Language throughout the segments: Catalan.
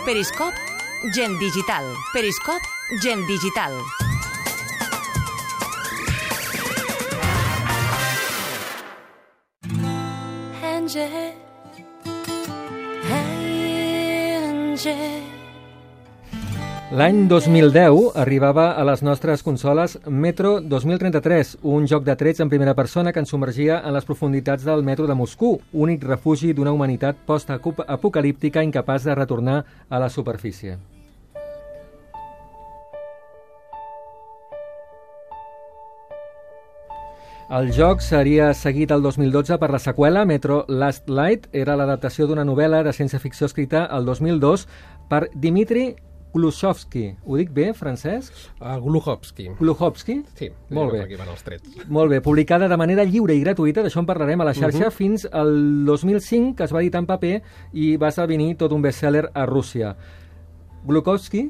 Periscop, gent digital. Periscop, gent digital. L'any 2010 arribava a les nostres consoles Metro 2033, un joc de trets en primera persona que ens submergia en les profunditats del metro de Moscou, únic refugi d'una humanitat post-apocalíptica incapaç de retornar a la superfície. El joc seria seguit el 2012 per la seqüela Metro Last Light. Era l'adaptació d'una novel·la de ciència-ficció escrita el 2002 per Dmitri Gluchovsky. Ho dic bé, Francesc? Gluchovsky. Gluchovsky? Sí, molt bé. Aquí van els trets. Molt bé, publicada de manera lliure i gratuïta, d'això en parlarem a la xarxa, fins al 2005, que es va editar en paper i va esdevenir tot un best-seller a Rússia. Gluchovsky?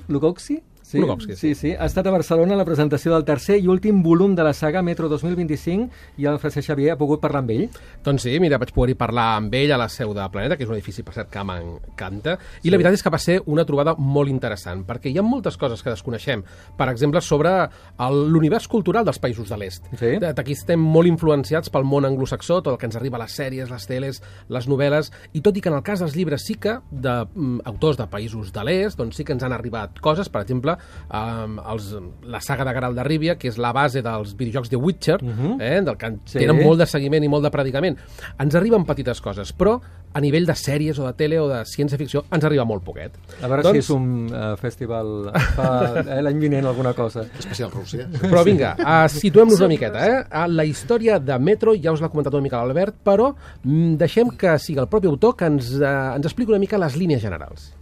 Sí, Gluchovsky, sí. Ha estat a Barcelona la presentació del tercer i últim volum de la saga Metro 2025 i el Francesc Xavier ha pogut parlar amb ell. Doncs sí, mira, vaig poder parlar amb ell a la seu de Planeta, que és un edifici, per cert, que m'encanta, i la veritat és que va ser una trobada molt interessant, perquè hi ha moltes coses que desconeixem. Per exemple, sobre l'univers cultural dels països de l'est. Sí. Aquí estem molt influenciats pel món anglosaxó, tot el que ens arriba a les sèries, les teles, les novel·les, i tot i que en el cas dels llibres sí que d'autors de països de l'est, doncs sí que ens han arribat coses, per exemple, la saga de Geralt de Rivia, que és la base dels videojocs de Witcher, del que tenen molt de seguiment i molt de predicament. Ens arriben petites coses, però a nivell de sèries o de tele o de ciència-ficció ens arriba molt poquet. A veure si és un festival l'any vinent alguna cosa. Especial Rússia. Però vinga, situem-nos una miqueta. La història de Metro ja us l'ha comentat una mica l'Albert, però deixem que sigui el propi autor que ens expliqui una mica les línies generals.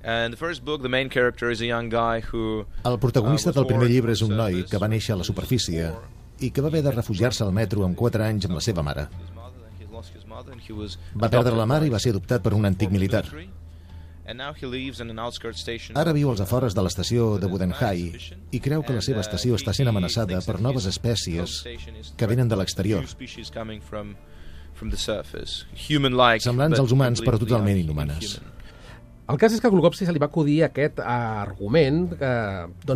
El protagonista del primer llibre és un noi que va néixer a la superfície i que va haver de refugiar-se al metro amb 4 anys amb la seva mare. Va perdre la mare i va ser adoptat per un antic militar. Ara viu als afores de l'estació de Budenhai i creu que la seva estació està sent amenaçada per noves espècies que venen de l'exterior. Semblants als humans, però totalment inhumanes. El cas és que a Gluchovsky se li va acudir aquest argument en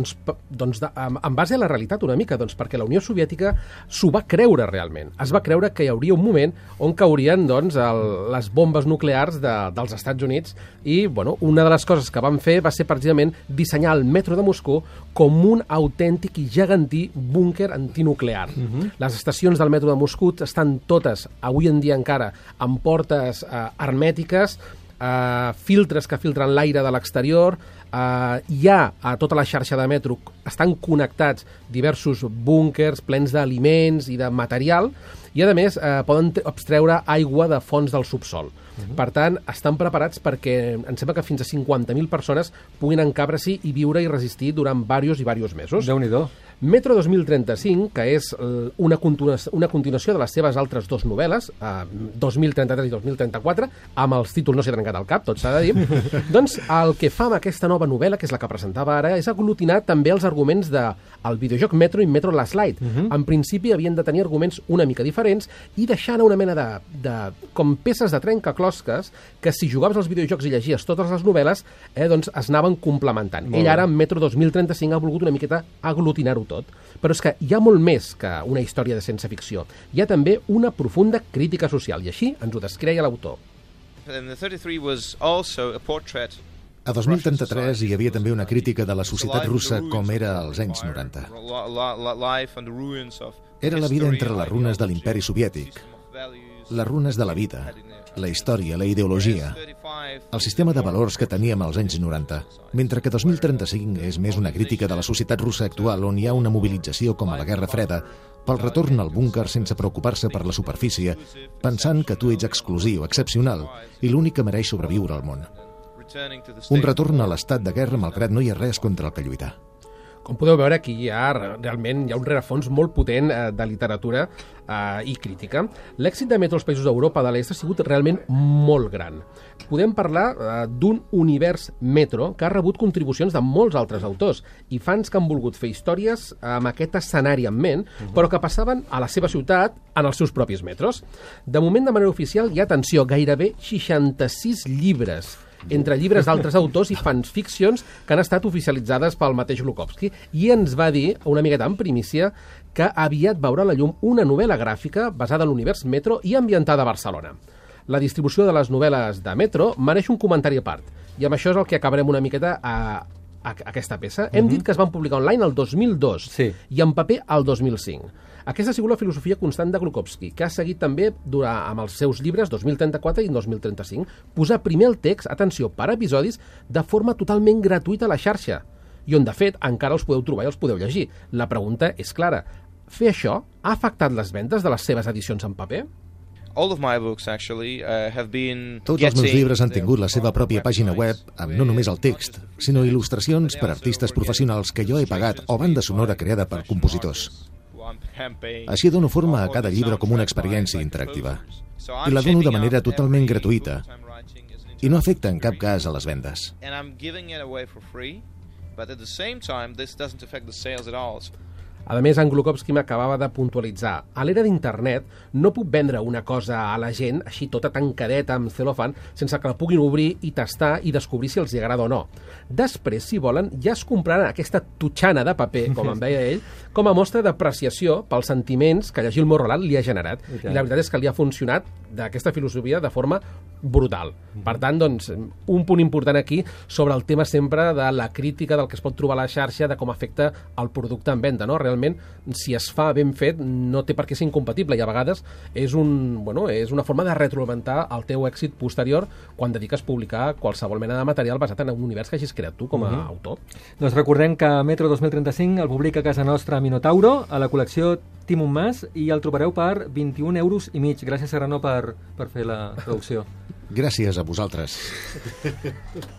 base a la realitat una mica, perquè la Unió Soviètica s'ho va creure realment. Es va creure que hi hauria un moment on caurien les bombes nuclears dels Estats Units i una de les coses que van fer va ser precisament dissenyar el metro de Moscou com un autèntic i gegantí búnquer antinuclear. Les estacions del metro de Moscou estan totes, avui en dia encara, amb portes hermètiques, filtres que filtren l'aire de l'exterior, hi ha a tota la xarxa de metro, estan connectats diversos búnkers plens d'aliments i de material i, a més, poden extreure aigua de fonts del subsol. Per tant, estan preparats perquè em sembla que fins a 50.000 persones puguin encabrar-s'hi i viure i resistir durant diversos mesos. Déu-n'hi-do. Metro 2035, que és una continuació de les seves altres dues novel·les, 2033 i 2034, amb els títols no s'hi ha trencat el cap, tot s'ha de dir, doncs el que fa amb aquesta nova novel·la, que és la que presentava ara, és aglutinar també els arguments del videojoc Metro i Metro Last Light. En principi havien de tenir arguments una mica diferents i deixar anar una mena de com peces de trencaclosques que si jugaves als videojocs i llegies totes les novel·les, doncs es anaven complementant. Ell ara, en Metro 2035, ha volgut una miqueta aglutinar-ho tot. Però és que hi ha molt més que una història de ciència-ficció. Hi ha també una profunda crítica social, i així ens ho descreia l'autor. A 2033 hi havia també una crítica de la societat russa com era als anys 90. Era la vida entre les runes de l'imperi soviètic, les runes de la vida, la història, la ideologia, el sistema de valors que teníem als anys 90, mentre que 2035 és més una crítica de la societat russa actual on hi ha una mobilització com a la Guerra Freda pel retorn al búnquer sense preocupar-se per la superfície, pensant que tu ets exclusiu, excepcional, i l'únic que mereix sobreviure al món. Un retorn a l'estat de guerra malgrat no hi ha res contra el que lluitar. Com podeu veure, aquí realment hi ha un rerefons molt potent de literatura i crítica. L'èxit de Metro als països d'Europa de l'Est ha sigut realment molt gran. Podem parlar d'un univers Metro que ha rebut contribucions de molts altres autors i fans que han volgut fer històries amb aquest escenari en ment, però que passaven a la seva ciutat en els seus propis metros. De moment, de manera oficial, hi ha, atenció, gairebé 66 llibres entre llibres d'altres autors i fanficcions que han estat oficialitzades pel mateix Glukowski. I ens va dir, una miqueta en primícia, que aviat veurà la llum una novel·la gràfica basada en l'univers Metro i ambientada a Barcelona. La distribució de les novel·les de Metro mereix un comentari a part, i amb això és el que acabarem una miqueta a aquesta peça. Hem dit que es van publicar online el 2002 i en paper el 2005. Aquesta ha sigut la filosofia constant de Glukowski, que ha seguit també amb els seus llibres 2034 i 2035. Posar primer el text, atenció, per episodis, de forma totalment gratuïta a la xarxa, i on, de fet, encara els podeu trobar i els podeu llegir. La pregunta és clara. Fer això ha afectat les vendes de les seves edicions en paper? Tots els meus llibres han tingut la seva pròpia pàgina web amb no només el text, sinó il·lustracions per artistes professionals que jo he pagat o banda sonora creada per compositors. Així dono forma a cada llibre com una experiència interactiva. I la dono de manera totalment gratuïta i no afecta en cap cas a les vendes. A més, en Glukowski m'acabava de puntualitzar. A l'era d'internet no puc vendre una cosa a la gent així tota tancadeta amb celofan sense que la puguin obrir i tastar i descobrir si els hi agrada o no. Després, si volen, ja es compraran aquesta tutxana de paper, com em deia ell, com a mostra d'apreciació pels sentiments que llegir el meu relat li ha generat. I la veritat és que li ha funcionat d'aquesta filosofia de forma brutal. Per tant, doncs, un punt important aquí sobre el tema sempre de la crítica del que es pot trobar a la xarxa, de com afecta el producte en venda, no? Realment, si es fa ben fet, no té per què ser incompatible, i a vegades és una forma de retroalimentar el teu èxit posterior quan dediques a publicar qualsevol mena de material basat en un univers que hagis creat tu com a autor. Doncs recordem que Metro 2035 el publica a casa nostra Minotauro, a la col·lecció Tim un Mas, i el trobareu per 21,5 euros. Gràcies, Serrano, per fer la traducció. Gràcies a vosaltres.